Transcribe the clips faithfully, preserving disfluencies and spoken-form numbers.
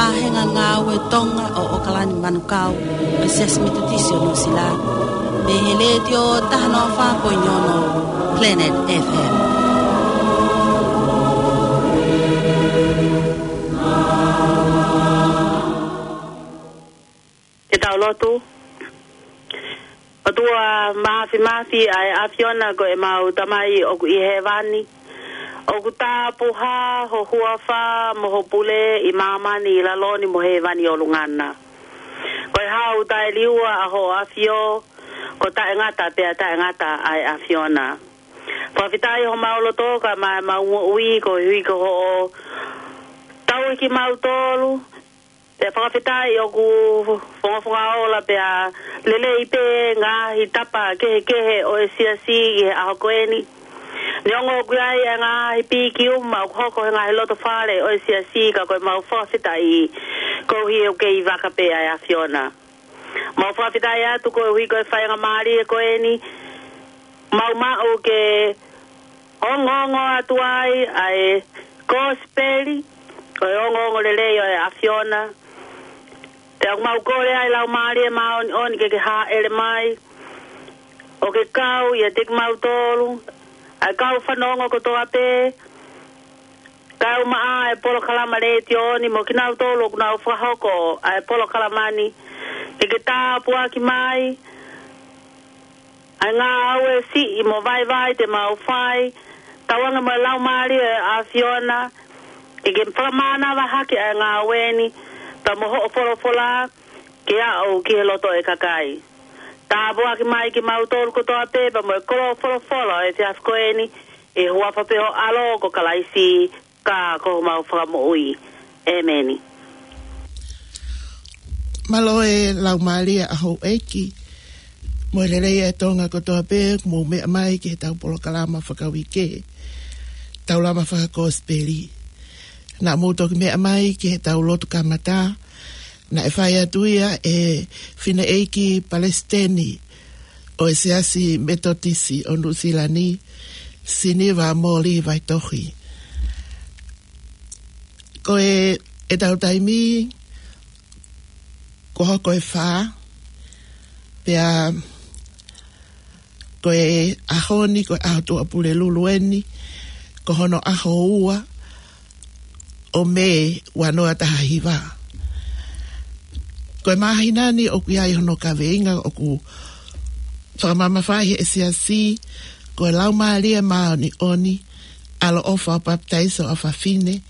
ʻa e ngāue Tonga ʻo ʻAokalani Manukau, ʻo e Siasi Metotisi ʻo Nuʻusila, mei he Letiō taha noa fā poini ono Planet F M. Ke tau lotu. ʻOtua Māfimafi, ʻa e ʻAfiona ko ʻemau Tamai ʻoku ʻi hēvani. ʻOku tāpuhā ho huafa mo ho pule ʻi māmani ʻi lalo ni mo hēvani ʻolunga na. Ko e hau taʻeliua ʻa hoʻo ʻAfio, ko taʻengata pea taʻengata ʻa e ʻAfiona. Fakafetaʻi homau loto kae ʻumaʻā ʻemau moʻui koeʻuhi ko hoʻo tauhi kimautolu, pea fakafetaʻi ʻoku fongafonga ola pea lelei pē ngaahi tapa kehekehe ʻo e siasi ʻi he ʻaho ko eni. Neongo ʻoku ʻi ai e ngaahi pīkiuma ʻoku hoko he ngaahi loto fale ʻo e siasi, ka ko ʻemau fakafetaʻi koeʻuhi ʻoku kei vaka pē ʻa e ʻAfiona. Mau fakafetaʻi atu koeʻuhi ko e faingamālie ko eni, mau maʻu ke ongoongo atu ai ʻa e kosipeli, ko e ongoongo lelei ʻo e ʻAfiona. Pea ʻoku mau kole ai Laumālie Māʻoniʻoni ke ke hāʻele mai, ʻo ke kau ʻiate kimautolu, ʻa e kau fanongo kotoa pē, kae ʻumaʻā e polokalama letiō ni mo kinautolu ʻoku nau fakahoko ʻa e polokalama ni, ke ke tāpuaki mai ʻa e ngāue siʻi mo vaivai te mau fai, tauange mo e Laumālie ʻo e ʻAfiona, ke ke fakamānava hake ʻa e ngāue ni, pea mo hoʻo folofola, ke aʻu ki he loto ʻo e kakai. Tāpuaki mai kimautolu kotoa pē, pea mo e kolo folofola ʻo e efiafi ko eni, ʻi he huafa pē ho ʻAlo ko Kalaisi, ka ko homau Fakamoʻui. ʻĒmeni. Mālō e Laumālie ʻa houʻeiki, mo e lelei ʻa e Tonga kotoa pē, mou meʻa mai ki heʻetau polokalama fakauike, Taulama Fakakosipeli. Naʻa mou toki meʻa mai ki heʻetau lotu kamata, naʻe fai atu ia ʻe he Fineʻeiki Palesiteni ʻo e Siasi Metotisi ʻo Nuʻusila ni, Siniva Moli Vaitohi. Ko e, ʻetau taimi, kuo hoko e fā, pea ko e ʻaho ni, ko e ʻaho Tuʻapulelulu eni, ko hono ʻaho ua ʻo Mē ua noa taha hiva. Ko e māhina ni ʻoku ʻi ai hono kaveinga ʻoku fakamamafaʻi ʻe he siasi, ko e Laumālie Māʻoniʻoni, ʻaloʻofa ʻo papitaiso ʻa fafine,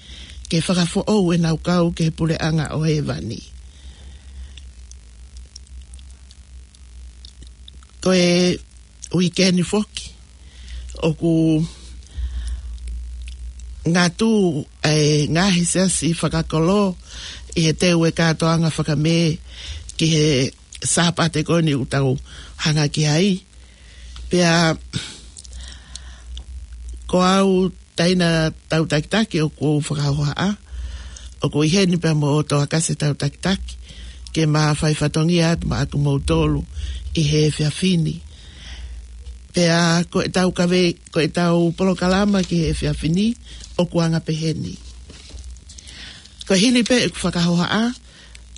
ke fakafoʻou ʻenau kau ki he puleʻanga ʻo hēvani. Ko e uike ni foki, ʻoku ngatu ʻa e ngaahi siasi fakakolo ʻi he teu e kātoanga faka-Mē ki he Sāpate ko eni ʻoku tau hanga ki ai. Pea ko au taina tau takitaki ʻoku ou fakahohaʻa, ʻoku ʻi heni pea mo ʻOtoa Kasi tau takitaki, ke ma fai fatongia atu maʻa kimoutolu ʻi he efiafi ni. Pea ko ʻetau kave, ko ʻetau polokalama ki he efiafi ni, ʻoku anga peheni. Ko e hili pē ʻeku fakahohaʻa,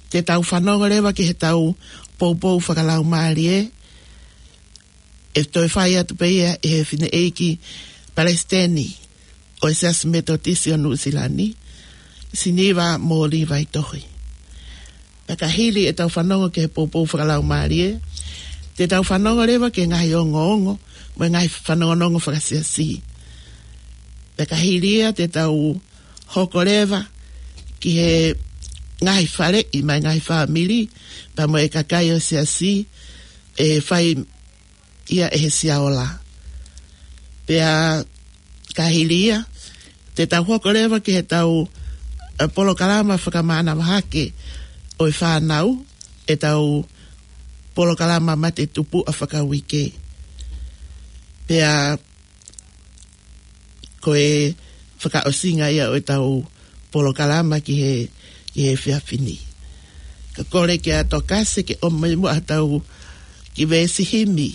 te tau fanongo leva ki heʻetau poupou fakalaumālie, ʻe toe fai atu pē ia ʻe he Fineʻeiki Palesiteni ʻo e Siasi Metotisi ʻo Nuʻusila ni, Siniva Moli Vaitohi. Pea ka hili ʻetau fanongo ki he poupou fakalaumālie, te tau fanongo leva ki he ngaahi ongoongo, mo e ngaahi fanongonongo fakasiasi. Pea ka hili ia te tau hoko leva ki he ngaahi faleʻi mo e ngaahi fāmili, pea mo e kakai ʻo e siasi, ʻe fai ia ʻe he Siaola. Pea ka hili ia, te tau hoko leva ki heʻetau, ʻa, polokalama fakamānava hake ʻo e fānau, ʻetau polokalama mate tupuʻa fakauike. Pea ko e fakaʻosinga ia ʻo ʻetau polokalama ki he, ki he efiafi ni. Ka kole kia ʻOtoa Kasi ke ʻomai muʻa ʻetau kiʻi veesi himi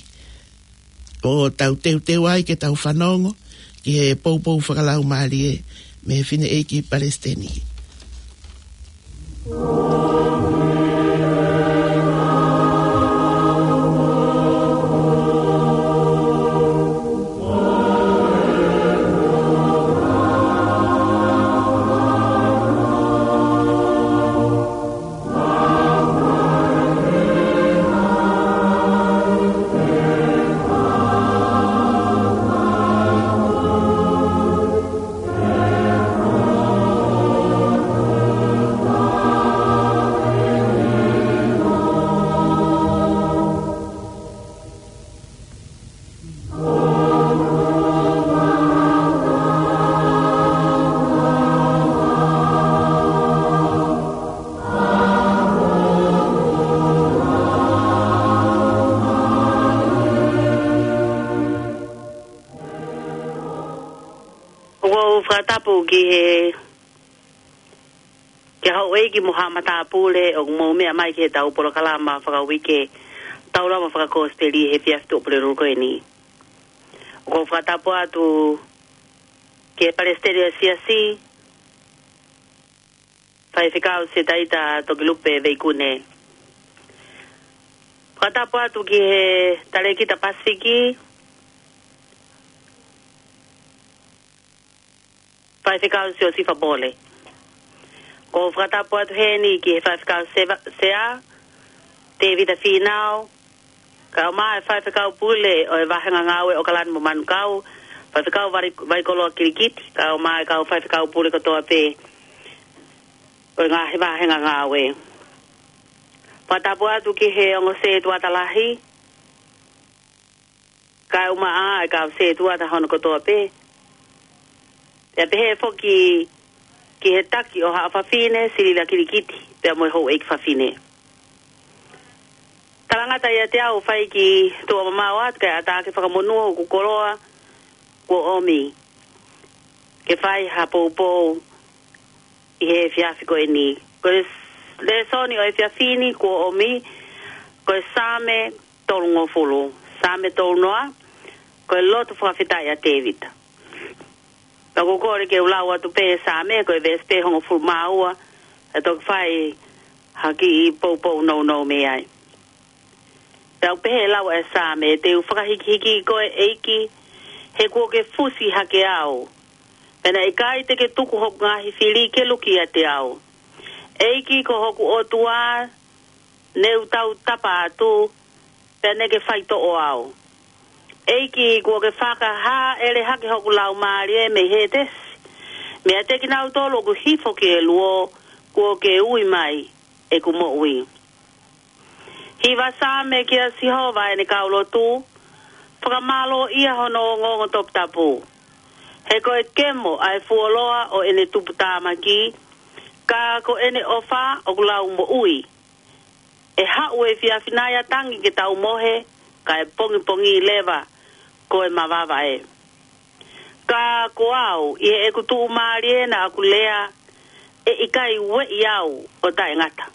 ʻo tau teuteu ai ke tau fanongo ki he poupou fakalaumālie mei he Fineʻeiki Palesiteni. ʻOku ou fakatapu ki he, ki he houʻeiki mo haʻa matāpule ʻoku mou meʻa mai ki heʻetau polokalama fakauike Taulama Fakakosipeli he efiafi Tuʻapulelulu ko eni. ʻOku ou fakatapu atu ki he Palesiteni ʻo e Siasi, Faifekau Setaita Tokilupe Veikune. Fakatapu atu ki he Talēkita Pasifiki, Faifekau Siosifa Pole. ʻOku ou fakatapu atu heni ki he Faifekau Seva-, Sea, Tēvita Fīnau, kae ʻumaʻā e Faifekau Pule ʻo e Vāhenga Ngāue ʻOkalani mo Manukau, Faifekau Vai-, Vaikoloa Kilikiti, kae ʻumaʻā e kau Faifekau Pule kotoa pē ʻo e ngaahi vāhenga ngāue. Fakatapu atu ki he ongo sētuata lahi, kae ʻumaʻā e kau sētuata hono kotoa pē. Pea pehē foki ki he taki ʻo haʻa fafine, Silila Kilikiti, pea mo e houʻeiki fafine. Talangata ʻiate au ʻoku fai ki tuʻa mamao atu kae ʻatā ke fakamonū hoku koloa kuo ʻomi ke fai ha poupou ʻi he efiafi ko eni. Ko e lēsoni ʻo e efiafi ni kuo ʻomi, ko e Saame tolungofulu, Saame tolunoa, ko e lotu fakafetaʻi ʻa Tēvita. Pea ʻoku ou kole ke u lau atu pē Saame, ko e veesi pē hongofulu mā ua, ʻe toki fai ha kiʻi poupou nounou mei ai. Pea ʻoku pehē ʻe he lau ʻa e Saame: Te u fakahikihiki koe ʻEiki, he kuo ke fusi hake au. Pea naʻe ʻikai te ke tuku hoku ngaahi fili ke luki ʻiate au. ʻEiki ko hoku ʻOtua, ne u tautapa atu, pea ne ke faitoʻo au. ʻEiki, kuo ke fakahāʻele hake hoku laumālie mei Hētesi, meiate kinautolu ʻoku hifo ki he luo, kuo ke ui mai ʻeku moʻui. Hiva Saame kia Sihova ʻene kau lotu, fakamālōʻia hono ongoongo toputapu. He ko e kemo ʻa e fuoloa ʻo ʻene tuputāmaki, ka ko ʻene ʻofa ʻoku lau moʻui. ʻE haʻu e efiafi nai ʻa tangi ke tau mohe, kae pongipongi leva ko e mavava ē. Ka ko au, ʻi heʻeku tuʻumālie naʻa ku lea, ʻe ʻikai ueʻi au ʻo taʻengata.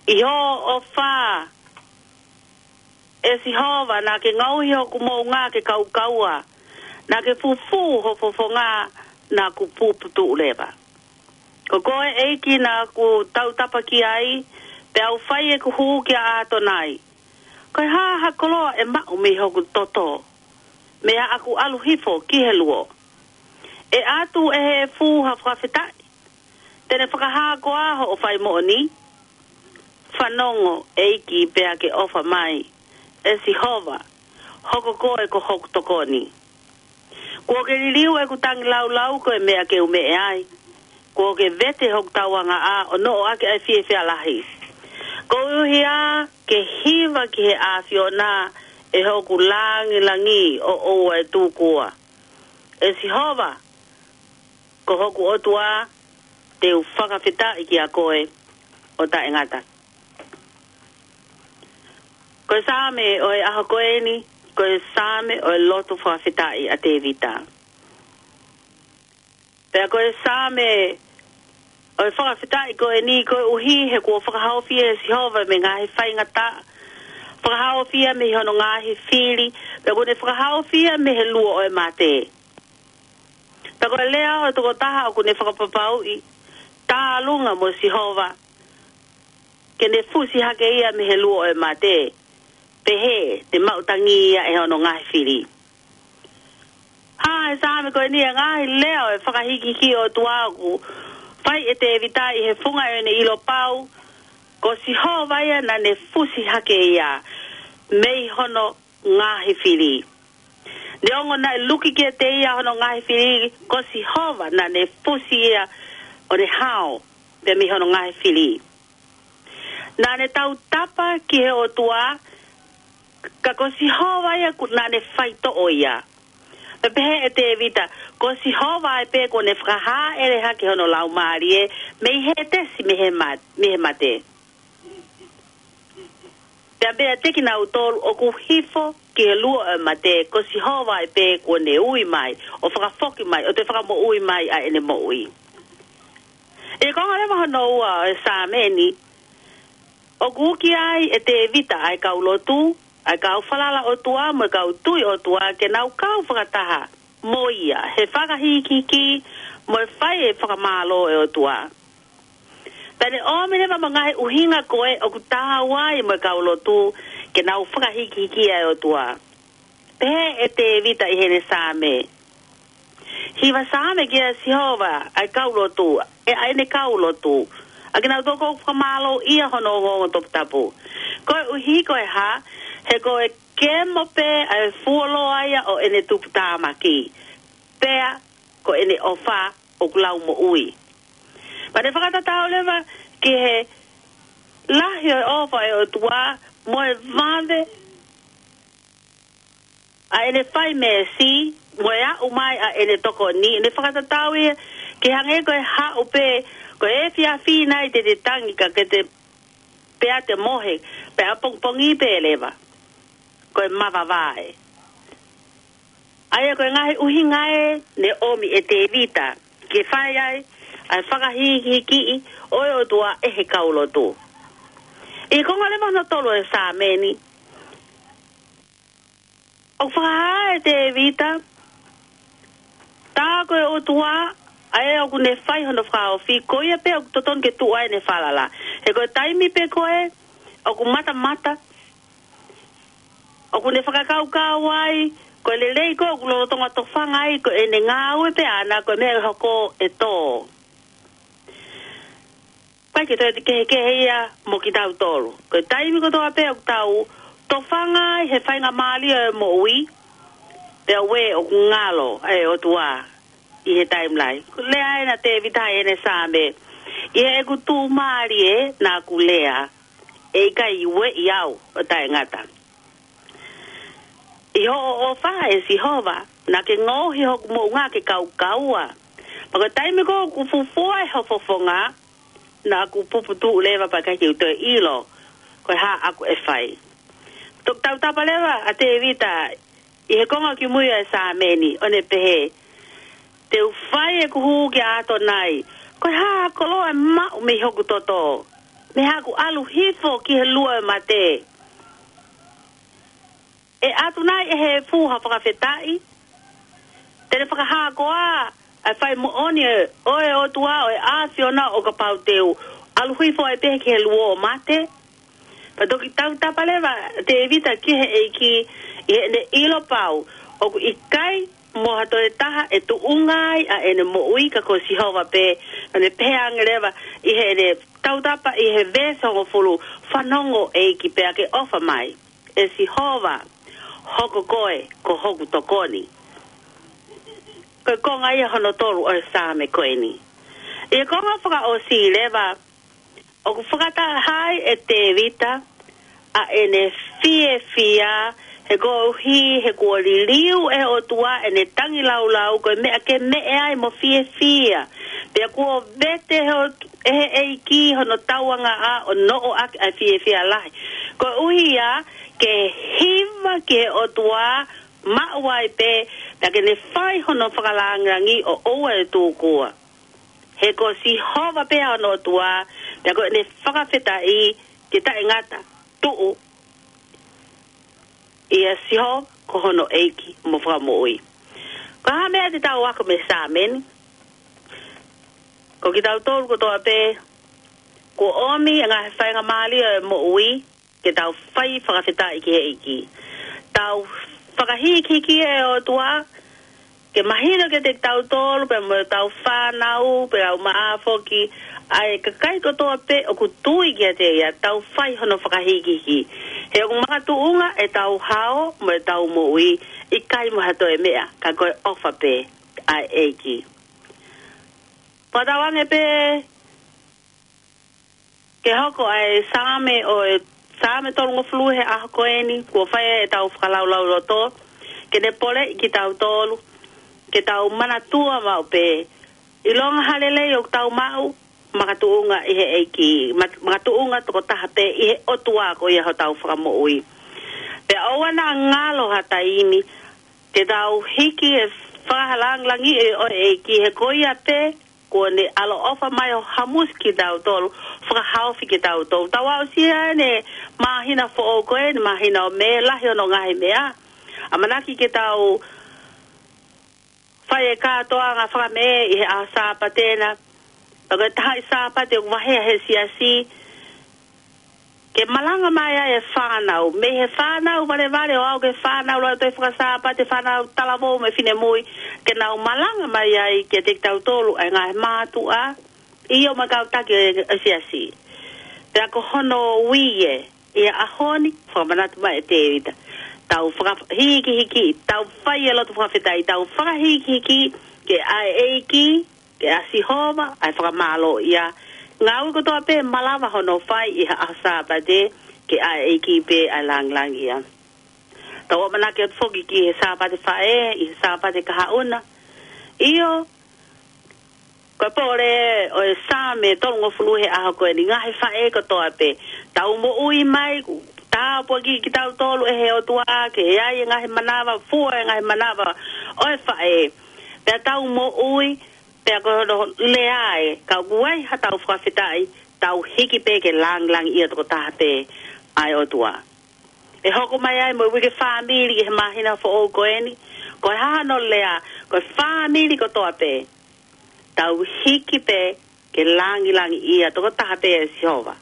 ʻI hoʻo ʻofa, ʻe Sihova, naʻa ke ngaohi hoku moʻunga ke kaukaua, naʻa ke fufū ho fofonga naʻa ku puputuʻu leva. Ko koe ʻEiki naʻa ku tautapa ki ai, pea u fai ʻeku hū kia ʻAtonai. Ko e hā ha koloa ʻe maʻu mei hoku toto, mei haʻaku ʻalu hifo ki he luo? ʻE ʻatu ʻe he efu ha fakafetaʻi, te ne fakahā koā hoʻo fai moʻoni? Fanongo ʻEiki pea ke ʻofa mai, ʻe Sihova, hoko koe ko hoku tokoni. Kuo ke liliu ʻeku tangilāulau ko e meʻa ke u meʻe ai. Kuo ke vete hoku tauangaʻa ʻo noʻo ʻaki ʻa e fiefia lahi. Koeʻuhi ke hiva ki he ʻAfiona ʻe hoku langilangi ʻo ʻoua ʻe tūkua. ʻE Sihova, ko hoku ʻOtua, te u fakafetaʻi kia koe ʻo taʻengata. Ko e Saame ʻo e ʻaho ko eni, ko e Saame ʻo e lotu fakafetaʻi ʻa Tēvita. Pea ko e Saame ʻo e fakafetaʻi ko eni koeʻuhi he kuo fakahaofi ʻe Sihova mei he ngaahi faingataʻa, fakahaofi ia mei hono ngaahi fili, pea kuo ne fakahaofi ia mei he luo ʻo e mate. Pea ko e lea ʻo e tokotaha ʻoku ne fakapapauʻi tālunga mo Sihova, ke ne fusi hake ia mei he luo ʻo e mate, pehē te maʻu tangi ia ʻe hono ngaahi fili. Hā he Saame ko eni ʻa e ngaahi lea ʻo e fakahīkihiki ʻo e ʻOtua ʻoku fai ʻe Tēvita ʻi he funga ʻo ʻene ʻilo pau, ko Sihova ia naʻa ne fusi hake ia mei hono ngaahi fili. Neongo naʻe luki kiate ia hono ngaahi fili, ko Sihova naʻa ne fusi ia ʻo ne hao pē mei hono ngaahi fili. Naʻa ne tautapa ki he ʻOtua, ka ko Sihova ia ku-, naʻa ne faitoʻo ia. Pea pehē ʻe Tēvita, ko Sihova ai pē kuo ne fakahāʻele hake hono laumālie mei Hētesi mei he ma-, mei he mate. Pea pea te kinautolu ʻoku hifo ki he luo ʻo e mate, ko Sihova ai pē kuo ne ui mai, ʻo fakafoki mai, ʻo toe fakamoʻui mai ʻa ʻene moʻui. ʻI he konga leva hono ua ʻo e Saame ni, ʻoku uki ai ʻe Tēvita ʻa e kau lotu, ʻa e kau falala ʻOtua, mo e kau tui ʻOtua, ke nau kau fakataha mo ia, he fakahīkihiki, mo e fai e fakamālō ʻo e ʻOtua. Pea ne ʻomi leva mo e ngaahi ʻuhinga ko ē ʻoku taau ai mo e kau lotu, ke nau fakahīkihiki ʻa e ʻOtua. Pehē ʻe Tēvita ʻi heʻene Saame. Hiva Saame kia Sihova, ʻa e kau lotu, ʻe ʻa ʻene kau lotu, ʻa kinautolu ʻoku fakamālōʻia hono ongoongo toputapu. Koeʻuhi ko e hā, he ko e kemo pē ʻa e fuoloa ia ʻo ʻene tuputāmaki. Pea ko ʻene ʻofa ʻoku lau moʻui. Pea ne fakatatau leva ki he lahi ʻo e ʻofa ʻa e ʻOtua mo e vave ʻa ʻene fai meesi, mo e aʻu mai ʻa ʻene tokoni, ne fakatatau ia ke hangē ko e haʻu pē, ko e efiafi nai te te tangi ka ke te pea te mohe, pea pongipongi pē leva, ko e mavavae. ʻA ia ko e ngaahi ʻuhinga ē ne ʻomi ʻe Tēvita, ke fai ai ʻa e fakahīkihikiʻi ʻo e ʻOtua ʻe he kau lotu. ʻI he konga leva hono tolu ʻo e Saame ni, ʻoku fakahā ʻe Tēvita, tā ko e ʻOtua, ʻa ē ʻoku ne fai hono fakaofi, ko ia pē ʻoku totonu ke tuʻu ai ʻene falala. He ko e taimi pē ko ē, ʻoku matamata, ʻoku ne fakakaukau ai, ko e lelei ko ē ʻoku lolotonga tofanga ai, ko ʻene ngāue pē ʻana, ko e meʻa ʻe hoko ʻe tō. ʻIkai ke toe kehekehe ia mo kitautolu. Ko e taimi kotoa pē ʻoku tau tofanga ai he faingamālie ʻo e moʻui, pea ʻoku ngalo ʻa e ʻOtua ʻi he taimi lahi. Ko e lea ena ʻa Tēvita ʻi heʻene Saame. ʻI heʻeku tuʻumālie naʻa ku lea, ʻe ʻikai ueʻi au ʻo taʻengata. ʻI hoʻo ʻofa ʻe Sihova, naʻa ke ngaohi hoku moʻunga ke kaukaua. Pea ko e taimi ko ē ʻoku fufua ai ho fofonga, naʻa ku puputuʻu leva pea ʻikai ke u toe ʻilo ko e hā ʻoku ke fai. Toki tautapa leva ʻa Tēvita ʻi he konga kimui ʻo e Saame ni, ʻo ne pehē, te u fai ʻeku hū kia ʻAtonai, ko e hā ha koloa ʻe maʻu mei hoku toto, mei haʻaku ʻalu hifo ki he luo ʻo e mate. ʻE ʻatu nai ʻe he efu ha fakafetaʻi? Te ne fakahā koā ʻa e fai moʻoni ʻo e ʻOtua ʻo e ʻAfiona ʻo kapau te u ʻalu hifo ai pē ki he luo ʻo e mate? Pea toki tautapa leva ʻa Tēvita ki he ʻEiki ʻi heʻene ʻilo pau ʻoku ʻikai mo ha toe taha ʻe tuʻunga ai ʻa ʻene moʻui ka ko Sihova pē, ʻo ne pehē ange leva ʻi heʻene tautapa ʻi he veesi hongofulu, fanongo ʻEiki pea ke ʻofa mai. ʻE Sihova, hoko koe ko hoku tokoni. Ko e konga ia hono tolu ʻo e Saame ko eni. ʻI he konga fakaʻosi leva, ʻoku fakataha ai ʻe Tēvita ʻa ʻene fiefia, he koeʻuhi he kuo liliu ʻe he ʻOtua ʻene tangilāulau ko e meʻa ke meʻe ai mo fiefia. Pea kuo vete he ʻOt-, ʻe he ʻEiki hono tauangaʻa ʻo noʻo ʻaki ʻa e fiefia lahi. Koeʻuhi ia ke hiva ki he ʻOtua maʻu ai pē, pea ke ne fai hono fakalāngilangi ʻo ʻoua ʻe tūkua. He ko Sihova pē hono ʻOtua, pea ko ʻene fakafetaʻi ke taʻengata, tuʻu ʻia Sihova ko hono ʻEiki mo Fakamoʻui. Ko e hā e meʻa te tau ako mei he Saame ni? Ko kitautolu kotoa pē, kuo ʻomi e ngaahi faingamālie ʻo e moʻui, ke tau fai fakafetaʻi ki he ʻEiki. Tau fakahīkihiki e ʻOtua, ke mahino kiate kitautolu, pea mo ʻetau fānau, pea ʻoku maʻa foki, ʻa e kakai kotoa pē ʻoku tui kiate ia, tau fai hono fakahīkihiki. He ʻoku makatuʻunga ʻetau hao, mo ʻetau moʻui, ʻikai mo ha toe meʻa, ka ko e ʻofa pē ʻa e ʻEiki. Pea tau ange pē ke hoko ʻa e Saame ʻo e Saame tolungofulu he ʻaho ko eni, kuo fai ʻetau fakalaulauloto, ke ne poleʻi kitautolu, ke tau manatua maʻu pē, ʻilonga ha lelei ʻoku tau maʻu, makatuʻunga ʻi he ʻEiki, ma-, makatuʻunga tokotaha pē ʻi he ʻOtua ko ia hotau fakamoʻui. Pea ʻoua naʻa ngalo ha taimi, ke tau hiki e fakalāngilangiʻi ʻo e ʻEiki he ko ia pē, kuo ne ʻaloʻofa mai ʻo hamusi kitautolu, fakahaofi kitautolu. Tau aʻusia ʻene māhina foʻou ko eni, māhina ʻo Mē, lahi hono ngaahi meʻa. ʻAmanaki ke tau fai e kātoanga faka-Mē ʻi he ʻaho Sāpate na. Pea ko e taha ʻi Sāpate ʻoku vaheʻi he siasi, ke malanga mai ai e fānau. Mei he fānau valevale ʻo aʻu ki he fānau lautohi faka-Sāpate, fānau talavou mo e finemui, ke nau malanga mai ai kiate kitautolu ʻa e ngaahi mātuʻa, ʻio mo e kau taki ʻo e siasi. Pea ko hono ui ē, ʻi he ʻaho ni, fakamanatu mai ʻe Tēvita. Tau fakahīkihiki, tau fai e lotu fakafetaʻi, tau fakahīkihiki, ke ʻa e ʻEiki, ke ʻa Sihova ʻa e fakamālō ia. Ngāue kotoa pē malava hono fai ʻi he ʻaho Sāpate, ke ʻa e ʻEiki pē ʻa e lāngilangi ia. Tau ʻamanaki atu foki ki he Sāpate Faʻē, ʻi he Sāpate Kahaʻu na. ʻIo, ko e pole ʻo e Saame tolungofulu he ʻaho ko eni, ngaahi faʻē kotoa pē. Tau moʻui mai, tāpuakiʻi kitautolu ʻe he ʻOtua, ke ʻi ai e ngaahi manava, fua e ngaahi manava ʻo e faʻē. Pea tau moʻui, pea ko hono lea ē, ka ʻoku ʻi ai haʻatau fakafetaʻi, tau hiki pē ke lāngilangiʻia tokotaha pē ʻa e ʻOtua. ʻE hoko mai ai mo e uike fāmili ʻi he māhina foʻou ko eni, ko e hā hono lea, ko e fāmili kotoa pē, tau hiki pē ke lāngilangiʻia tokotaha pē ʻe Sihova.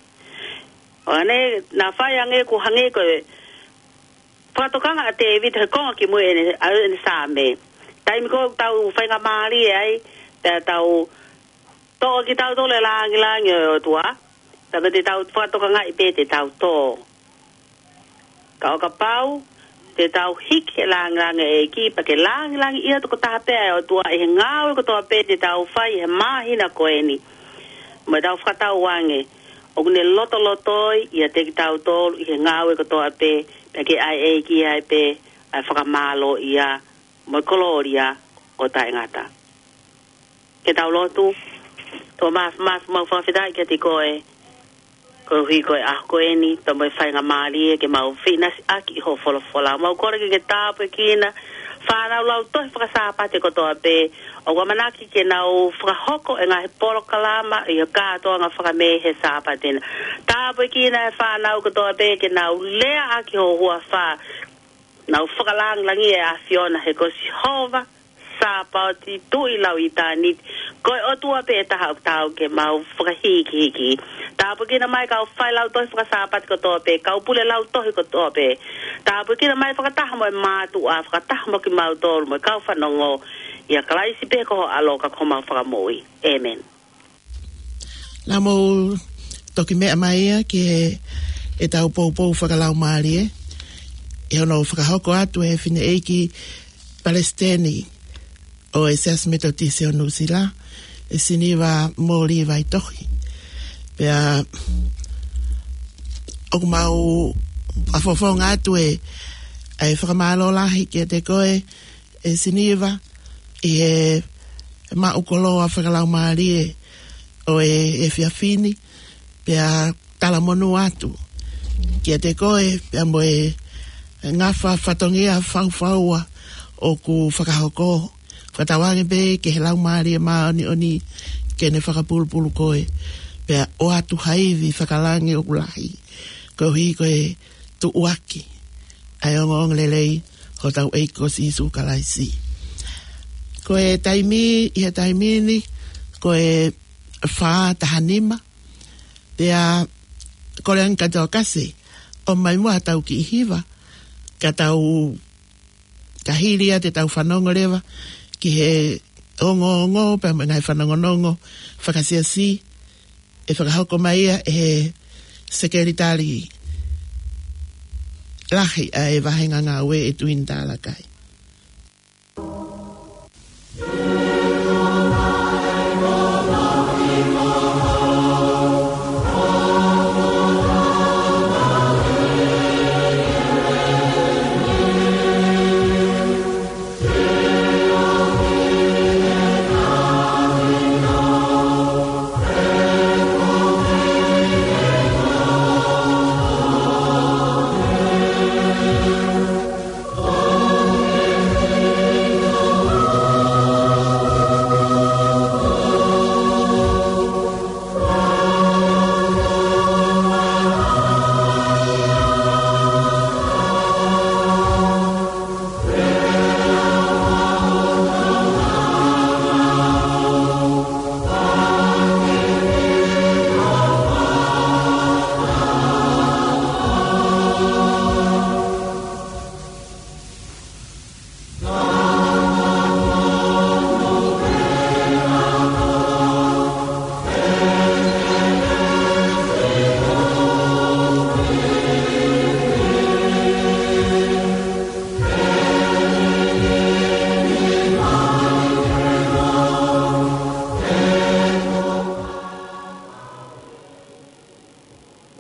ʻO ne, naʻa fai ange kuo hangē ko e fakatokanga ʻa Tēvita he konga kimui ʻene, ʻa ʻene Saame. Taimi ko ē ʻoku tau faingamālie ai, pea tau toʻo kitautolu e lāngilangi ʻo e ʻOtua, pea ko ʻetau fakatokangaʻi pē te tau tō. Ka ʻo kapau te tau hiki e lāngilangi ʻEiki, pea ke lāngilangiʻia tokotaha pē ʻa e ʻOtua ʻi he ngāue kotoa pē te tau fai he māhina ko eni. Mo ʻetau fakatauange, ʻoku ne lotolotoi ʻiate kitautolu ʻi he ngāue kotoa pē, pea ke ʻa e ʻEiki ai pē ʻa e fakamālō ia, mo e kolōlia ʻo taʻengata. Ke tau lotu. ʻOtua māfimafi, mau fakafetaʻi kiate koe, koeʻuhi ko e ʻaho ko eni, pea mo e faingamālie ke mau fiʻinasiʻaki ʻi hoʻo folofola. Mau kole ke ke tāpuekina fānau lautohi faka-Sāpate kotoa pē, ʻoku ʻamanaki ke nau fakahoko e ngaahi polokalama ʻi he kātoanga faka-Mē he Sāpate na. Tāpuekina e fānau kotoa pē ke nau leaʻaki ho huafa, nau fakalāngilangiʻi e ʻAfiona he ko Sihova Sāpaoti Tuʻi Lauitāniti, ko e ʻOtua pē ʻe taha ʻoku taau ke mau fakahīkihiki. Tāpuekina mai kau failautohi faka-Sāpate kotoa pē, kau pule lautohi kotoa pē. Tāpuekina mai fakataha mo e mātuʻa, fakataha mo kimautolu mo e kau fanongo, ʻia Kalaisi pē ko ho ʻAlo ka ko homau Fakamoʻui. ʻĒmeni. Naʻa mou toki meʻa mai ia ki he, ʻetau poupou fakalaumālie, ʻi hono fakahoko atu ʻe he fineʻeiki palesiteni ʻo e Siasi Metotisi ʻo Nuʻusila, ʻe Siniva Mōlī Vaitohi. Pea ʻoku mau fakafofonga atu e, ʻa e fakamālō lahi kiate koe, ʻe Siniva, ʻi he maʻu koloa fakalaumālie ʻo e, efiafi ni, pea talamonū atu kiate koe, pea mo e ngafa fatongia faufaua ʻoku fakahoko. Fakatauange pē ki he Laumālie Māʻoniʻoni ke ne fakapulupulu koe, pea ʻoatu ha ivi fakalangi ʻoku lahi, koeʻuhi ko e tuʻuaki ʻa e ongoongolelei hotau ʻEiki ko Sīsū Kalaisi. Ko e taimi, ʻi he taimi ni, ko e fā taha nima. Pea kole ange kia Tokasi ʻo ʻomai muʻa ha tau kiʻi hiva, ka tau, ka hili ia te tau fanongo leva ki he ongoongo pea mo e ngaahi fanongonongo fakasiasi ʻe fakahoko mai ia ʻe he Sekelitali Lahi ʻa e Vāhenga Ngāue ʻe Tuini Talakai.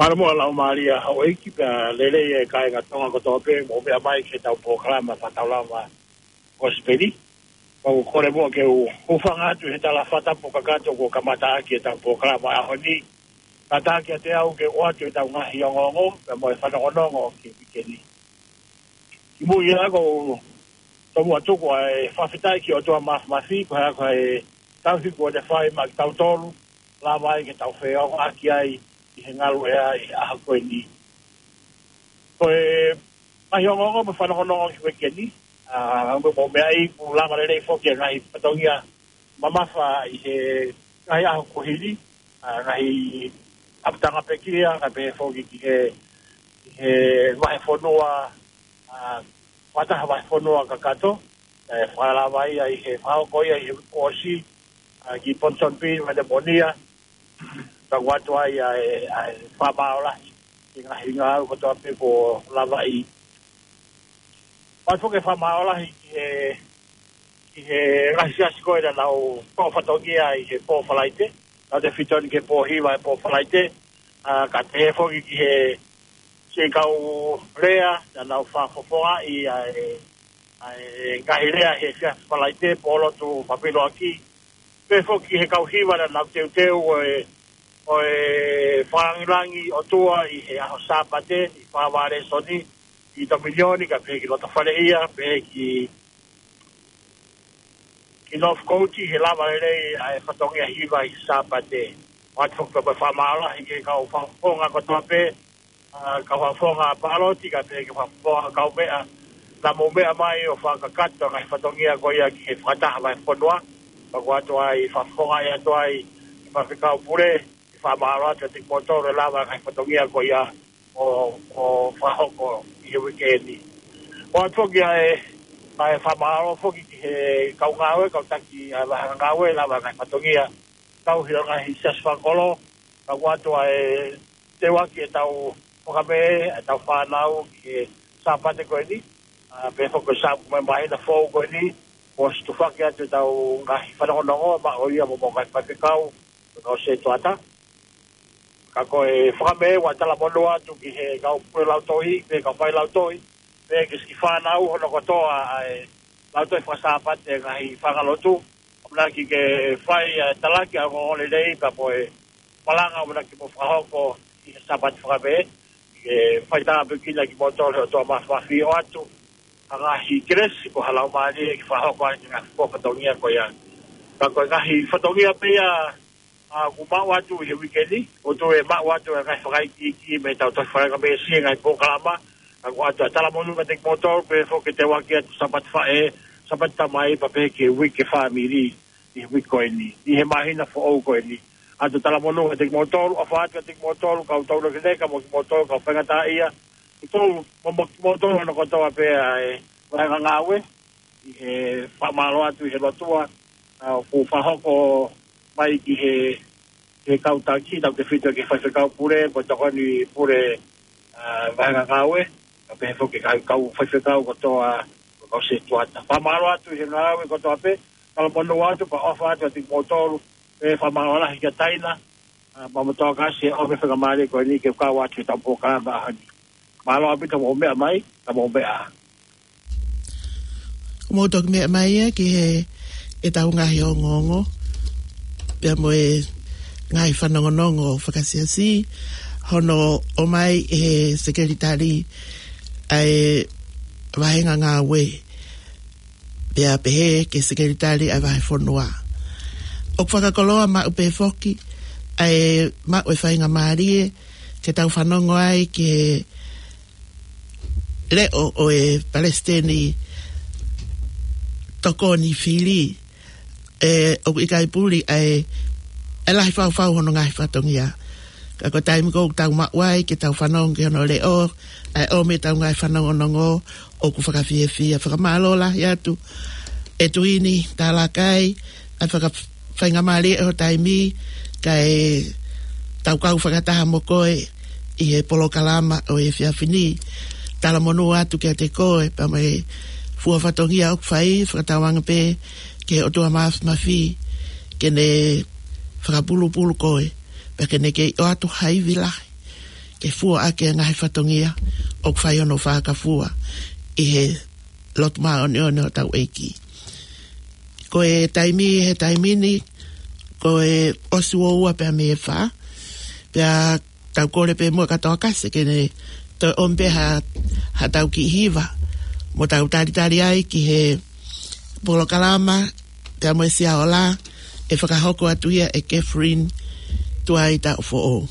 Mālō muʻa Laumālie Houʻeiki, pea lelei e kāinga Tonga kotoa pē, mou meʻa mai ki heʻetau polokalama fakataulama Kosipeli. Kau kole muʻa ke u hūfanga atu he tala fakatapu kakato kuo kamata ʻaki ʻetau polokalama ʻaho ni. Kātaki ʻiate au ke ʻoatu ʻetau ngaahi ongoongo, pea mo e fanongonongo ki he uike ni. Kimuʻa ia ʻoku ou tomuʻa tuku ʻa e fakafetaʻi ki he ʻOtua Māfimafi, ko e hā ko e tauhi kuo ne fai maʻa kitautolu, lava ai ke tau feʻao ʻaki ai ʻi he ngaluʻea ʻi he ʻaho ko eni. Ko e ngaahi ongoongo mo e fanongonongo ki he uike ni, ʻa, mo e meʻa ʻoku lava lelei foki e ngaahi fatongia mamafa ʻi he ngaahi ʻaho kuo hili, ʻa, ngaahi ʻapitanga pekia, kae pehē foki ki he, ki he vahefonua, ʻa, fakataha vahefonua kakato, ʻe fakalava ia ʻi he fakahoko ia ʻi he uike kuo ʻosi, ʻa, ki Ponsonby, Manemonia, ka ʻoku ʻoatu ai ʻa e, ʻa e fakamālō lahi ki he ngaahi ngāue kotoa pē kuo lava ʻi. ʻOatu foki e fakamālō lahi ki he, ki he ngaahi siasi ko ē naʻa nau toʻo fatongia ʻi he pō Falaite, naʻa nau tefito ni ki he pō hiva he pō Falaite, ʻa, kae pehē foki ki he siʻi kau lea naʻa nau fakafofongaʻi ʻa e, ʻa e ngaahi lea he siasi Falaite, pō lotu Papiloaki, pehē foki ki he kau hiva naʻa nau teuteu ʻo e, ʻo e fakalāngilangi ʻOtua ʻi he ʻaho Sāpate, ʻi Fakavalesoni, ʻi Tominioni, kae pehē ki Lotofaleʻia, pehē ki, ki Northcote, he lava lelei ʻa e fatongia hiva ʻi he Sāpate. ʻOatu foki pē mo e fakamālō lahi ki he kau fakafofonga kotoa pē, ʻa, kau fakafofonga pāloti, kae pehē ki he fakafofonga kaumeʻa, naʻa mou meʻa mai ʻo fakakakato ʻa e ngaahi fatongia ko ia ki he fakataha vahefonua, pea ʻoku ʻoatu ai, fakafofongaʻi atu ai ʻe he Faifekau Pule, ʻe fakamālō atu kiate kimoutolu ʻe lava e ngaahi fatongia ko ia ʻo, ʻo fakahoko ʻi he uike ni. ʻOatu foki ʻa e, ʻa e fakamālō foki ki he kau ngāue, kau taki ʻa e vāhenga ngāue, lava e ngaahi fatongia, tauhi ʻa e ngaahi siasi fakakolo, ka ʻoku ʻoatu ʻa e teuaki ʻetau fakamē, ʻetau fānau ki he Sāpate ko eni, ʻa, pehē foki ko e Sā-, mo e māhina foʻou ko eni, kuo ʻosi tufaki atu ʻetau ngaahi fanongonongo, maʻa ia mo e ngaahi faifekau, mo e kau sētuata. Ka ko e fakamē ʻoku talamonū atu ki he kau pule lautohi, pea kau fai lautohi, pea ki he siʻi fānau hono kotoa ʻa e lautohi fakasāpate ngaahi fanga lotu, ʻamanaki ke fai ʻa e talaki ʻa e ongoongo lelei pea mo e malanga ʻamanaki mo fakahoko ʻi he Sāpate fakamē, ke fai tāpuekina kimoutolu ʻe he ʻOtua Māfimafi ʻoatu ha ngaahi kelesi mo ha laumālie ke fakahoko ai e ngaahi fatongia ko ia. Ka ko e ngaahi fatongia pē ia, ʻa, ʻoku maʻu atu ʻi he uike ni, ʻoku toe maʻu atu e ngaahi fakaikiiki mei heʻetau tohi faingamesi he ngaahi polokalama, ka ʻoku ʻoatu ʻa e talamonū kiate kimoutolu, pehē foki ki he teuaki atu Sāpate Faʻē, Sāpate Tamai, pea pehē ki he Uike Fāmili ʻi he uike ko eni, ʻi he māhina foʻou ko eni. ʻOatu e talamonū kiate kimoutolu, ʻofa atu kiate kimoutolu, kau taulekeleka mo kimoutolu, kau faingataʻaʻia. Kimoutolu, mo, mo kimoutolu hono kotoa pē ʻa e vahenga ngāue, ʻi he fakamālō atu ʻi he lotua, ʻa, ʻoku fakahoko mai ki he, he kau taki, tautefito ki he faifekau pule, ko e tokoni pule, ʻa, vahenga ngāue, kae pehē foki ki he kau faifekau kotoa, kau setuata. Fakamālō atu ʻi he ngāue kotoa pē, talamonū atu, pea ʻofa atu kiate kimoutolu, pea fakamālō lahi kia Taina, ʻa, mo Motokasi, ʻo e faingamālie ko eni ke kau atu ki heʻetau polokalama ʻaho ni. Mālō ʻaupito hoʻomou meʻa mai, ka mou meʻa. Ko mou toki meʻa mai ia ki he, ʻetau ngaahi ongoongo, pea mo e ngaahi fanongonongo fakasiasi, hono ʻomai ʻe he sekelitali ʻa e vahenga ngāue, pea pehē ki he sekelitali ʻa e vahefonua. ʻOku fakakoloa maʻu pē foki ʻa e maʻu e faingamālie ke tau fanongo ai ki he leʻo ʻo e palesiteni tokoni fili, ʻe, ʻoku ʻikai puli ʻa e, ʻa e lahi faufau hono ngaahi fatongia. Ka ko e taimi ko ē ʻoku tau maʻu ai ke tau fanongo ki hono leʻo, ʻa e ʻomi ʻetau ngaahi fanongonongo, ʻoku fakafiefia. Fakamālō lahi atu ʻe Tuini Talakai, ʻa e faka-, faingamālie ʻo e taimi, kae tau kau fakataha mo koe ʻi he polokalama ʻo e efiafi ni. Talamonū atu kiate koe, pea mo e fua fatongia ʻoku fai, fakatauange pē ki he ʻOtua Māfimafi ke ne fakapulupulu koe, pea ke ne kei ʻoatu ha ivi lahi ke fua ʻaki e ngaahi fatongia ʻoku fai hono fakafua ʻi he lotu māʻoniʻoni ʻo hotau ʻEiki. Ko e taimi, he taimi ni, ko e ʻosi ua ua pea mei he fā, pea tau kole pē muʻa kia Tokasi ke ne toe ʻomi pē ha, haʻatau kiʻi hiva, mo tau talitali ai ki he polokalama, pea mo e Sia Ola, ʻe fakahoko atu ia ʻe Catherine Tuaita ʻo Foʻou.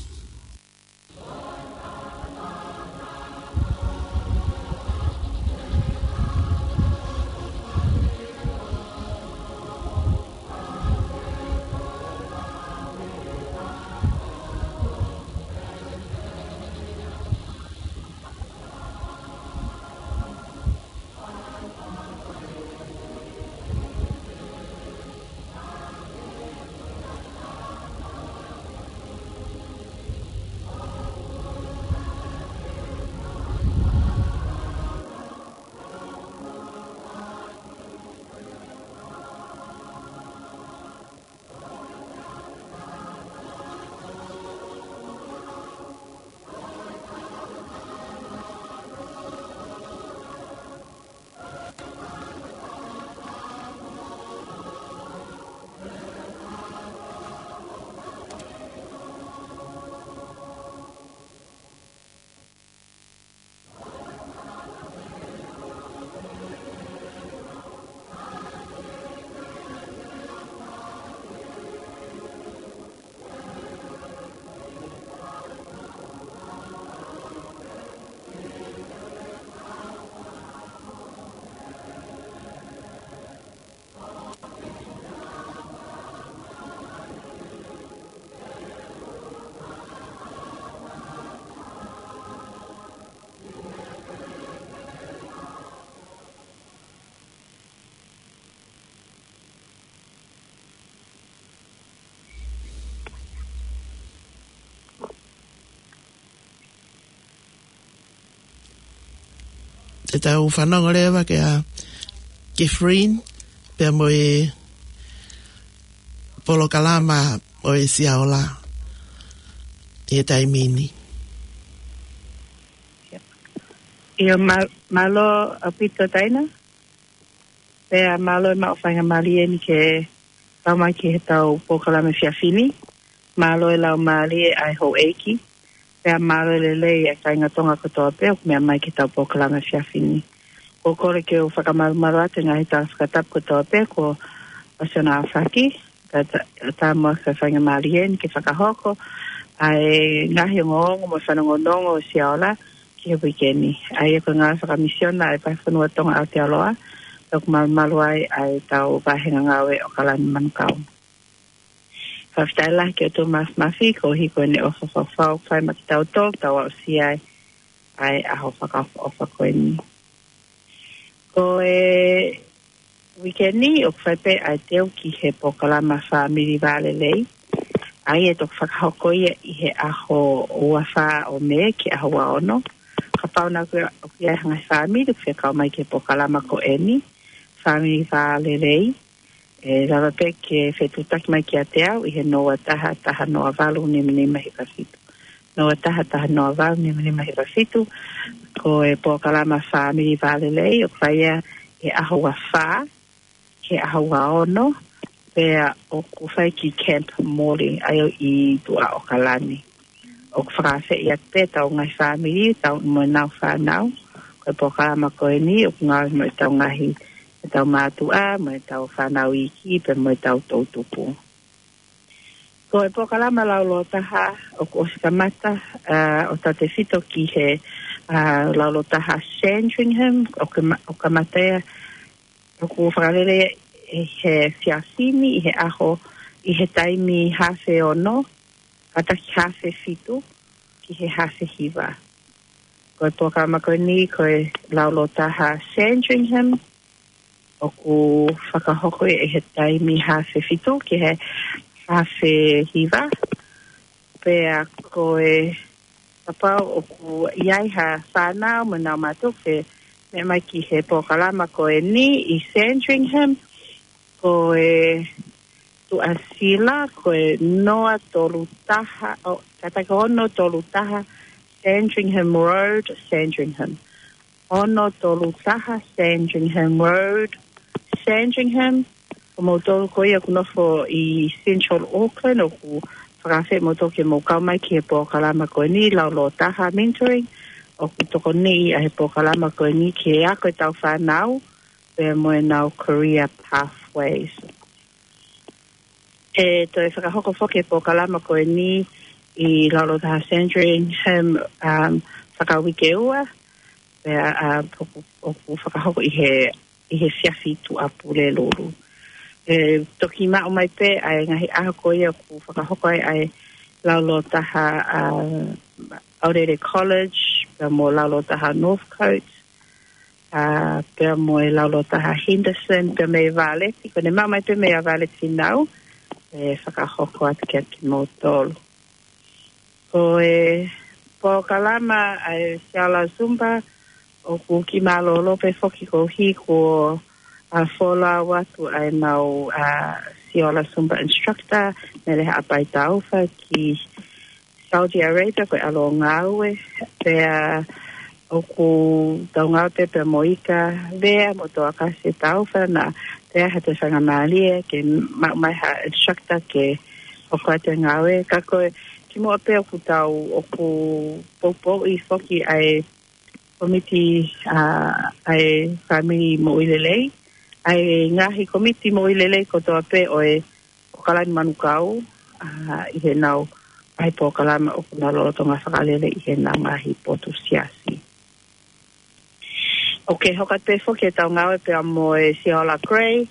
Te tau fanongo leva kia Catherine, pea mo e polokalama ʻo e Sia Ola ʻi he taimi ni. ʻIo, mā-, mālō ʻaupito Taina. Pea mālō e maʻu faingamālie ni ke tau mai ki heʻetau polokalama efiafi ni. Mālō e laumālie ʻa e houʻeiki. Pea mālō e lelei ʻa e kāinga Tonga kotoa pē ʻoku meʻa mai ki heʻetau polokalama efiafi ni. ʻOku ou kole ke u fakamalumalu atu e ngaahi tala fakatapu kotoa pē kuo ʻosi hono aofaki. Ka ta-, tā muʻa ke faingamālie ni ke fakahoko ʻa e ngaahi ongoongo mo e fanongonongo ʻo e Sia Ola ki he uike ni. ʻA ia ko e ngāue fakamisiona ʻa e Vahefonua Tonga Aotearoa, ʻoku malumalu ai ʻa ʻetau vahenga ngāue ʻAokalani Manukau. Fakafetaʻi lahi ki he ʻOtua Mafimafi, koeʻuhi ko ʻene ʻofa fakaofo ʻoku fai maʻa kitautolu, tau aʻusia ai ʻa e ʻaho fakaʻofoʻofa ko eni. Ko e uike ni, ʻoku fai pē ʻa e teu ki he polokalama Fāmili Vālelei. ʻA ia ʻe toki fakahoko ia ʻi he ʻaho ua fā ʻo Mē ki he ʻaho ua ono. Kapau naʻa ʻoku ʻi ai ha ngaahi fāmili ʻoku fie kau mai ki he polokalama ko eni, Fāmili Vālelei, ʻe lava pē ke fetuʻutaki mai kiate au ʻi he noa taha taha noa valu nima nima hiva fitu. Noa taha taha noa valu nima nima hiva fitu. Ko e polokalama Fāmili Vālelei ʻoku fai ia ʻi he ʻaho ua fā ki he ʻaho ua ono, pea ʻoku fai ki Camp Morley, ʻa ia ʻi Tuʻa ʻAokalani. ʻOku fakaafeʻi atu pē ʻetau ngaahi fāmili, tau mo ʻenau fānau. Ko e polokalama ko eni ʻoku ngāue mo ʻetau ngaahi, ʻetau mātuʻa, mo ʻetau fānau iiki, pea mo ʻetau toʻutupu. Ko e polokalama laulōtaha ʻoku ʻosi kamata, ʻa, ʻo tautefito ki he, ʻa, laulōtaha Sandringham, ʻoku ma-, ʻoku kamata ia, ʻoku fakalele ʻi he efiafi ni, ʻi he ʻaho, ʻi he taimi haafe ono, kātaki haafe fitu ki he haafe hiva. Ko e polokalama ko eni, ko e laulōtaha Sandringham, ʻoku fakahoko ia ʻi he taimi haafe fitu ki he haafe hiva. Pea ko e, kapau ʻoku ʻi ai ha fānau mo ʻenau mātuʻa ʻoku fie meʻa mai ki he polokalama ko eni ʻi Sandringham, ko e tuʻasila, ko e noa tolu taha, ʻo, kātaki ono tolu taha Sandringham Road, Sandringham. Ono tolu taha Sandringham Road, Sandringham. Ko moutolu ko ia ʻoku nofo ʻi Central Auckland, ʻoku fakaafeʻi moutolu ke mou kau mai ki he polokalama ko eni, laulōtaha mentoring. ʻOku tokoniʻi ʻa e polokalama ko eni ki he ako ʻetau fānau, pea mo ʻenau career pathways. ʻE toe fakahoko foki e polokalama ko eni ʻi he laulōtaha Sandringham, um, fakauike ua, pea, uh, ʻoku, ʻoku fakahoko ʻi he, ʻi he efiafi Tuʻapulelulu. ʻE toki maʻu mai pē ʻa e ngaahi ʻaho ko ia ʻoku fakahoko ai ʻa e laulōtaha, uh, Aorere College, pea mo laulōtaha Northcote, ʻa, pea mo e laulōtaha Henderson, pea mei Vāleti, ko ʻene maʻu mai pē mei Vāleti Fīnau, ʻe fakahoko atu kiate kimoutolu. Ko e polokalama ʻa e Siola Zumba, ʻoku kiʻi mālōlō pē foki koeʻuhi ko e, ʻa, folau atu ʻa ʻenau, ʻa, Siola Zumba instructor, Mele Haʻapai Taufa ki Saudi Arabia, ko e ʻalu ʻo ngāue, pea ʻoku tau ngāue pē pea mo Ika Vea mo Toakase Taufa, naʻa toe ʻi ai ha toe faingamālie ke maʻu mai ha instructor ke hoko atu e ngāue. Ka ko e kimuʻa pē ʻoku tau, ʻoku poupouʻi foki ʻa e kōmiti, ʻa, ʻa e fāmili moʻui lelei, ʻa e ngaahi kōmiti moʻui lelei kotoa pē ʻo e ʻAokalani Manukau, ʻa, ʻi heʻenau ngaahi polokalama ʻoku nau lolotonga fakalele ʻi heʻenau ngaahi potu siasi. ʻOku hoko atu pē foki ʻetau ngāue pea mo e Siola Gray,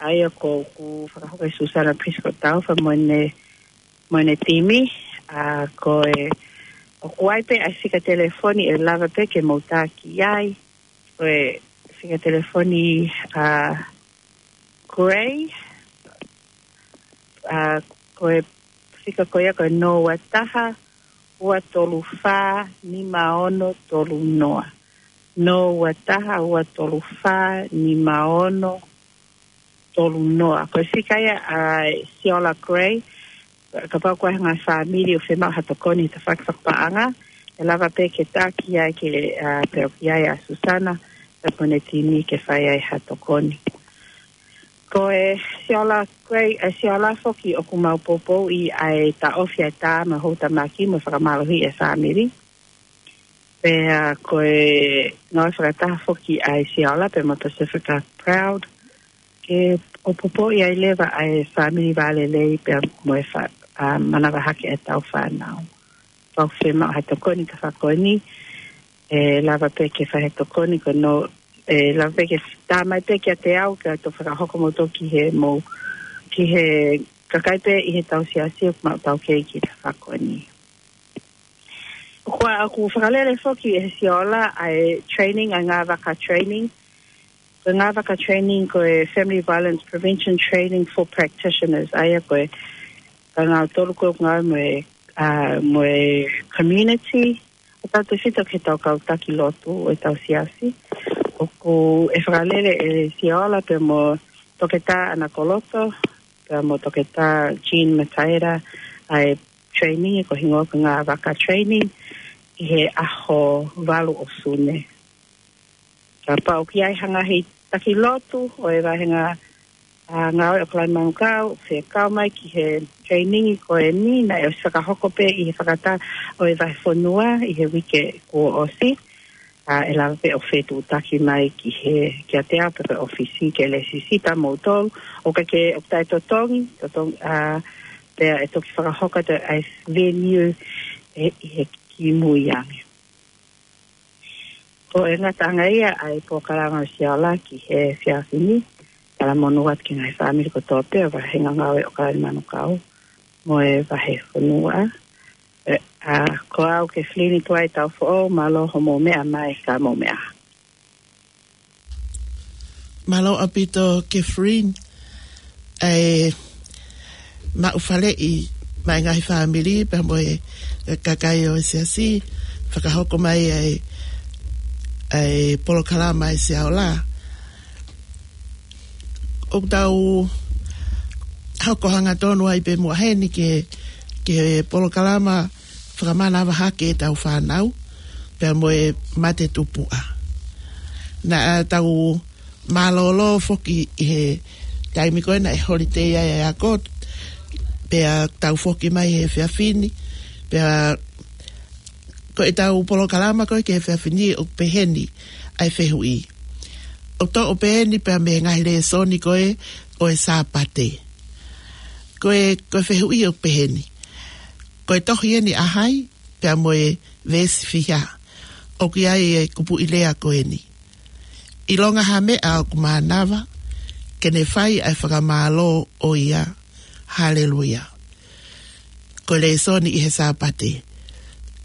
ʻa ia ʻoku fakahoko ʻe Susana Prescott Taufa mo ʻene, mo ʻene timi, ʻa, ko e, ʻoku ʻi ai pē ʻa e fika telefoni ʻe lava pē ke mou taki ai, ko e fika telefoni, ʻa, Gray, ʻa, ko e fika ko ia ko e noa ua taha, ua tolu fā, nima ono tolu noa. Noa ua taha, ua tolu fā, nima ono tolu noa. Ko e fika ia ʻa e Siola Gray, kapau ko e ngaahi fāmili ʻoku fiemaʻu ha tokoni he tafaʻaki fakapaʻanga, ʻe lava pē ke taki ai ke, ʻa, pea ʻoku ʻi ai ʻa Susana, pea mo ʻene timi ke fai ai ha tokoni. Ko e Siola Gray, ʻa e Siola foki ʻoku mau poupouʻi ʻa e taʻofi ʻa e tā mo e houtamaki mo e fakamālohiʻi e fāmili. Pea ko e ngāue fakataha foki ʻa e Siola pea mo Pacifica Proud, ke ʻo poupouʻi ai leva ʻa e Fāmili Vālelei pea mo e fa-, ʻa, manavahaki ʻetau fānau. Kapau ʻoku fiemaʻu ha tokoni ka fakoni, ʻe lava pē ke fai ha tokoni ko eni, ʻe lava pē ke tā mai pē kiate au, ke u toe fakahoko moutolu ki he mou, ki he kakai pē ʻi heʻetau siasi ʻoku mau taukei ki he tafaʻaki ko eni. ʻOku ʻa, ʻoku fakalele foki ʻe he Siola ʻa e training, ʻa e ngāue vaka training. Ko e ngāue vaka training ko e Family Violence Prevention Training for Practitioners. ʻA ia ko e, ko kinautolu ko ē ʻoku ngāue mo e, ʻa, mo e community, ʻo tautefito ki heʻetau kau taki lotu ʻo ʻetau siasi. ʻOku ʻe fakalele ʻe he Siola pea mo Toketā ʻAna Koloto, pea mo Toketā Jean Mataira, ʻa e training ko e hingoa ko e ngāue vaka training ʻi he ʻaho valu ʻo Sune. Kapau ʻoku ʻi ai ha ngaahi taki lotu ʻo e vahenga, ʻa, ngāue ʻo Kalani Manukau, fekau mai ki he training ko eni, naʻe ʻosi fakahoko pē ʻi he fakataha ʻo e vahefonua ʻi he uike kuo ʻosi. ʻA, ʻe lava pē ʻo fetuʻutaki mai ki he, kiate au pe ko e ʻōfisi ke lesisita moutolu. ʻOku ʻikai ke, ʻoku taʻetotongi, totongi, ʻa, pea ʻe toki fakahoko atu ʻa e venue ʻe, ʻi he kimui ange. Ko e ngataʻanga ia ʻa e polokalama ʻa Siola ki he efiafi ni. Talamonū atu ki he ngaahi fāmili kotoa pē ʻo e vahenga ngāue ʻo Kalani Manukau mo e vahefonua. ʻE, ʻa, ko au Kathleen Tuai Taufoʻou, mālō hoʻomou meʻa mai, ka mou meʻa. Mālō ʻaupito Kathleen. ʻE, maʻu faleʻi mai ngaahi fāmili pea mo e, e kakai ʻo e siasi, fakahoko mai ʻa e, ʻa e polokalama ʻa Siola. ʻOku tau hoko hangatonu ai pē muʻa heni ki he, ki he polokalama fakamanava hake ʻetau fānau, pea mo e mate tupuʻa. Naʻa tau mālōlō foki ʻi he taimi ko ē naʻe holiday ai ʻa e ako, pea tau foki mai he efiafi ni, pea ko ʻetau polokalama ko ē ki he efiafi ni ʻoku peheni ʻa e fehuʻi. ʻOku toʻo peheni pea mei he ngaahi lēsoni ko ē ʻo e Sāpate. Ko e, ko e fehuʻi ʻoku peheni. Ko e tohi eni ʻa hai, pea mo e veesi fiha. ʻOku ʻi ai e kupuʻi lea ko eni. ʻIlonga ha meʻa ʻoku mānava, ke ne fai ʻa e fakamālō ʻo ia. Haleluia. Ko e lēsoni ʻi he Sāpate.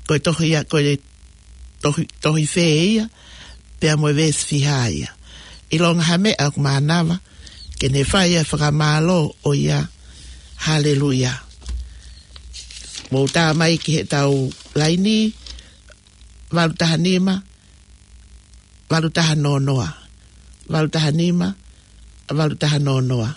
Ko e tohi ia, ko e tohi, tohi fē ia, pea mo e veesi fiha ia. ʻIlonga ha meʻa ʻoku mānava, ke ne fai ʻa e fakamālō ʻo ia. Haleluia. Mou tā mai ki heʻetau laini, valu taha nima, valu taha noa noa. Valu taha nima, valu taha noa noa.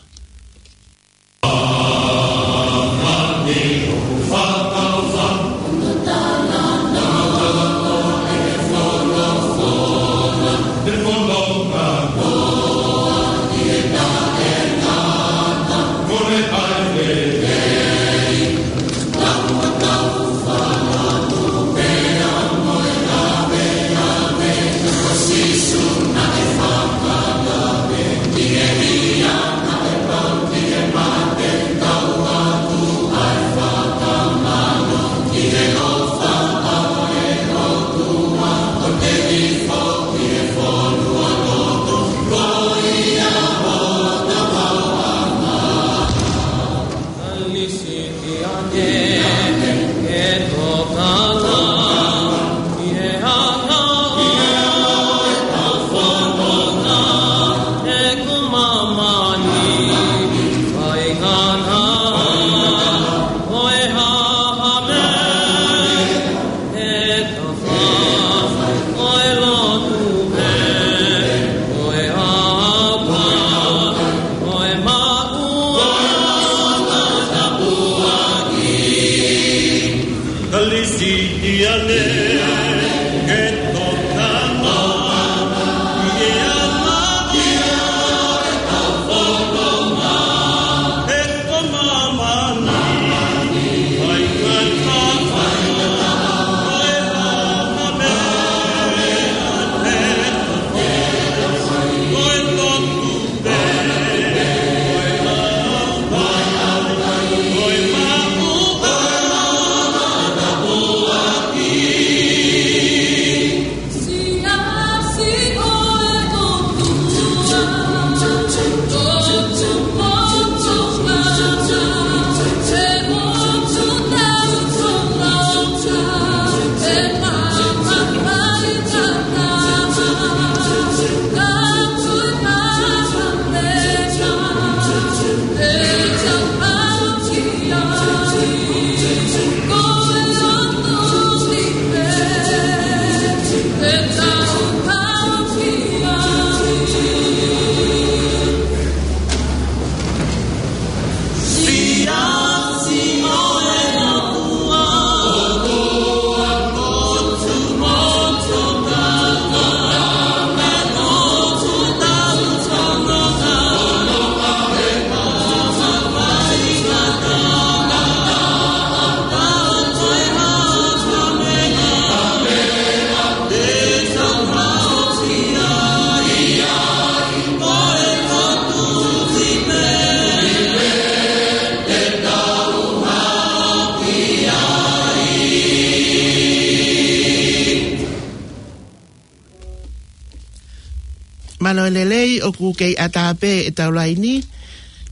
Mālō e lelei, ʻoku kei ʻatā pē ʻetau laini.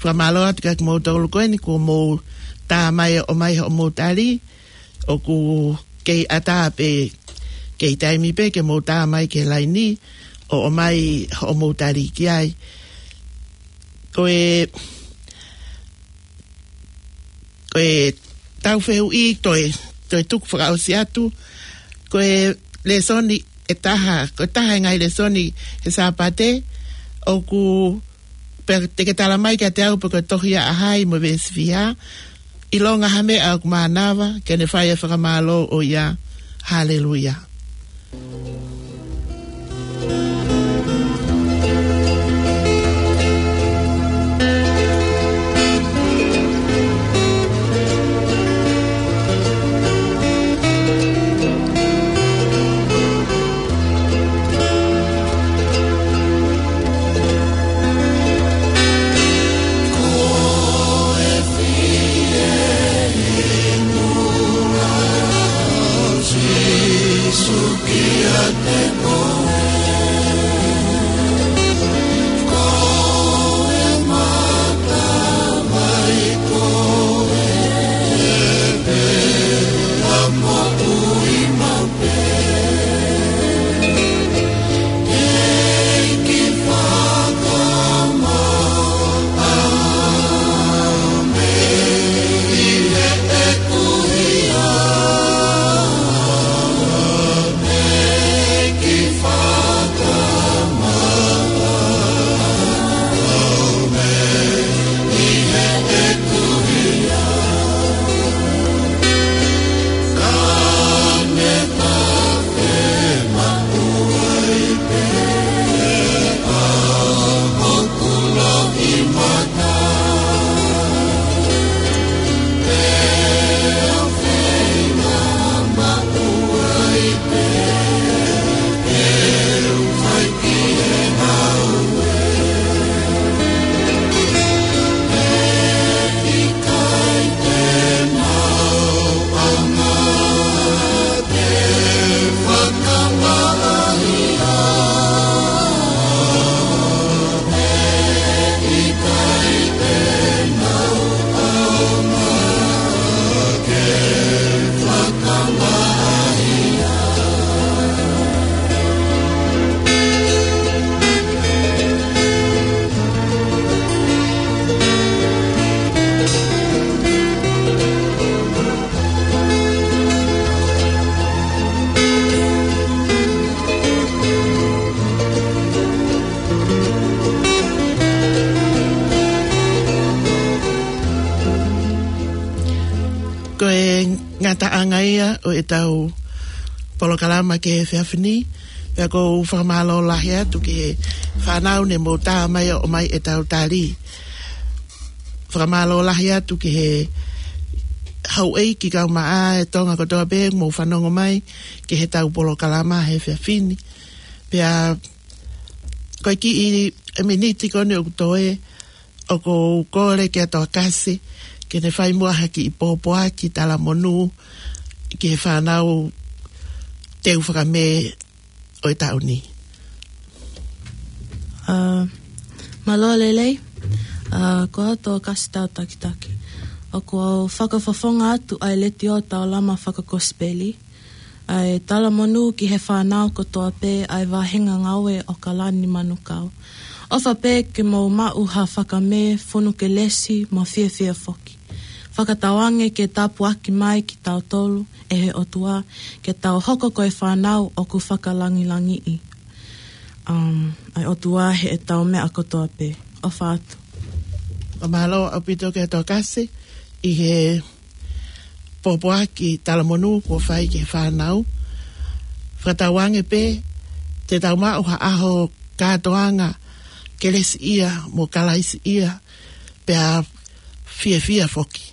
Fakamālō atu kiate kimoutolu ko eni kuo mou tā mai ʻo ʻomai hoʻomou tali. ʻOku kei ʻatā pē, kei taimi pē ke mou tā mai ki he laini ʻo ʻomai hoʻomou tali ki ai. Ko e, ko ʻetau fehuʻi, toe, toe tuku fakaʻosi atu. Ko e lēsoni ʻe taha, ko e taha e ngaahi lēsoni he Sāpate, ʻoku pea te ke tala mai kiate au pe ko e tohi ʻa hai mo e veesi fiha. ʻIlonga ha meʻa ʻoku mānava, ke ne fai e fakamālō ʻo ia. Haleluia. Ko e ngataʻanga ia ʻo ʻetau polokalama ki he efiafi ni, pea ʻoku ou fakamālō lahi atu ki he fānau ne mou tā mai ʻo ʻomai ʻetau tali. Fakamālō lahi atu ki he houʻeiki kae ʻumaʻā e Tonga kotoa pē mou fanongo mai ki heʻetau polokalama he efiafi ni. Pea ko e kiʻi e miniti ko eni ʻoku toe, ʻoku ou kole kia Tokasi ke ne fai muʻa ha kiʻi pōpoaki talamonū ki he fānau teu fakamē ʻo e taʻu ni. ʻA, mālō e lelei, ʻa, ko au Tokasi Tautakitaki. ʻOku ou fakafofonga atu ʻa e Letiō Taulama Fakakosipeli, ʻa e talamonū ki he fānau kotoa pē ʻa e Vāhenga Ngāue ʻo Kalani Manukau. ʻOfa pē ke mou maʻu ha fakamē fonu kelesi mo fiefia foki. Fakatauange ke tāpuaki mai kitautolu ʻe he ʻOtua, ke tau hoko ko e fānau ʻoku fakalangilangiʻi, um, ʻa e ʻOtua heʻetau meʻa kotoa pē. ʻOfa atu. Fakamālō ʻaupito kia Tokasi ʻi he pōpoaki talamonū kuo fai ki he fānau. Fakatauange pē te tau maʻu ha ʻaho kātoanga kelesiʻia mo Kalaisiʻia, pea fiefia foki.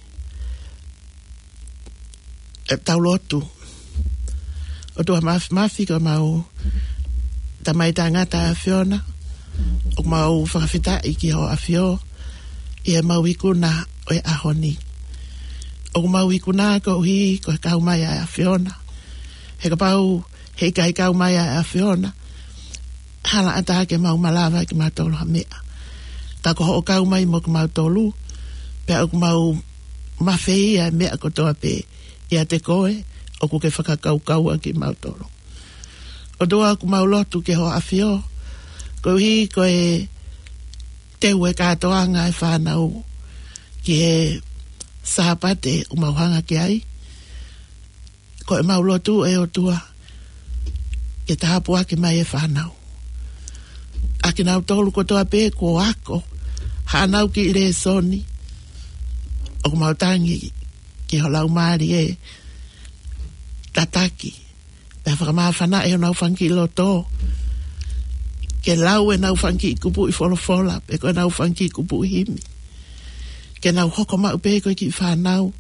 ʻE tau lotu. ʻOtua Māfimafi, ko homau Tamai Taʻengata ʻa e ʻAfiona, ʻoku mau fakafetaʻi ki hoʻo ʻAfio ʻi heʻemau ikuna ʻo e ʻaho ni. ʻOku mau ikuna koeʻuhi ko e kau mai ʻa e ʻAfiona. He kapau heʻikai kau mai ʻa e ʻAfiona, hala ʻatā ke mau malava kimautolu ha meʻa. Ka ko hoʻo kau mai mo kimautolu, pea ʻoku mau mafeia e meʻa kotoa pē ʻiate koe, ʻoku ke fakakaukaua kimautolu. ʻOtua, ʻoku mau lotu ki ho ʻAfio, koeʻuhi ko e teu e kātoanga e fānau ki he Sāpate ʻoku mau hanga ki ai. Ko ʻemau lotu, ʻe ʻOtua, ke tāpuaki mai e fānau. ʻA kinautolu kotoa pē kuo ako haʻanau kiʻi lēsoni, ʻoku mau tangi ki ho Laumālie tataki, pea fakamāfanaʻi honau fanga kiʻi loto, ke lau ʻenau fanga kiʻi kupuʻi folofola, pe ko ʻenau fanga kiʻi kupuʻi himi, ke nau hoko maʻu pē ko e kiʻi fānau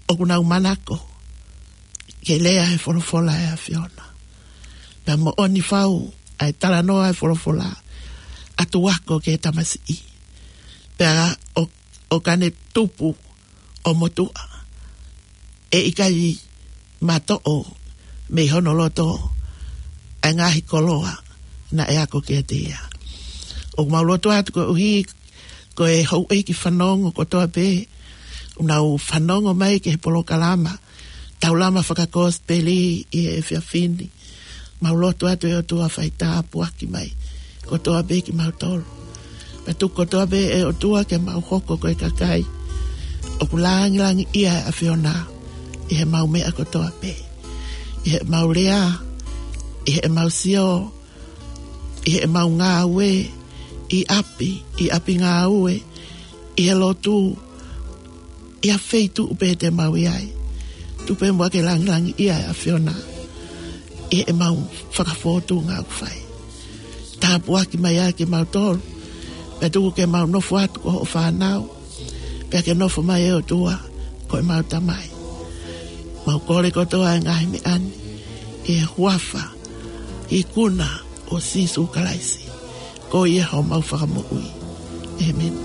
ʻoku nau manako ke lea he folofola ʻa e ʻAfiona. Pea moʻoni fau ʻa e talanoa ʻa e folofola, ʻa e tuʻu ako ki he tamasiʻi, pea ʻo, ʻo ka ne tupu ʻo motuʻa, ʻe ʻikai matoʻo mei hono loto ʻa e ngaahi koloa naʻe ako kiate ia. ʻOku mau lotu atu koeʻuhi ko e houʻeiki fanongo kotoa pē ʻoku nau fanongo mai ki he polokalama Taulama Fakakosipeli ʻi he efiafi ni. Mau lotu atu, ʻe ʻOtua, fai tāpuaki mai kotoa pē kimautolu. Pea tuku kotoa pē, ʻe ʻOtua, ke mau hoko ko e kakai ʻoku langilangiʻia e ʻAfiona ʻi heʻemau meʻa kotoa pē, ʻi heʻemau lea, ʻi heʻemau sio, ʻi heʻemau ngāue, ʻi ʻapi, ʻi ʻapi ngāue, ʻi he lotu, ʻi ha feituʻu pē te mau ʻi ai. Tuku pē muʻa ke langilangiʻia e ʻAfiona ʻi heʻemau fakafōtunga ʻoku fai. Tāpuaki mai ʻa kimautolu, pea tuku ke mau nofo atu ko hoʻo fānau, pea ke nofo mai, ʻe ʻOtua, ko ʻemau Tamai. Mau kole kotoa e ngaahi meʻa ni ʻi he huafa ikuna ʻo Sīsū Kalaisi, ko ia homau Fakamoʻui. ʻĒmeni.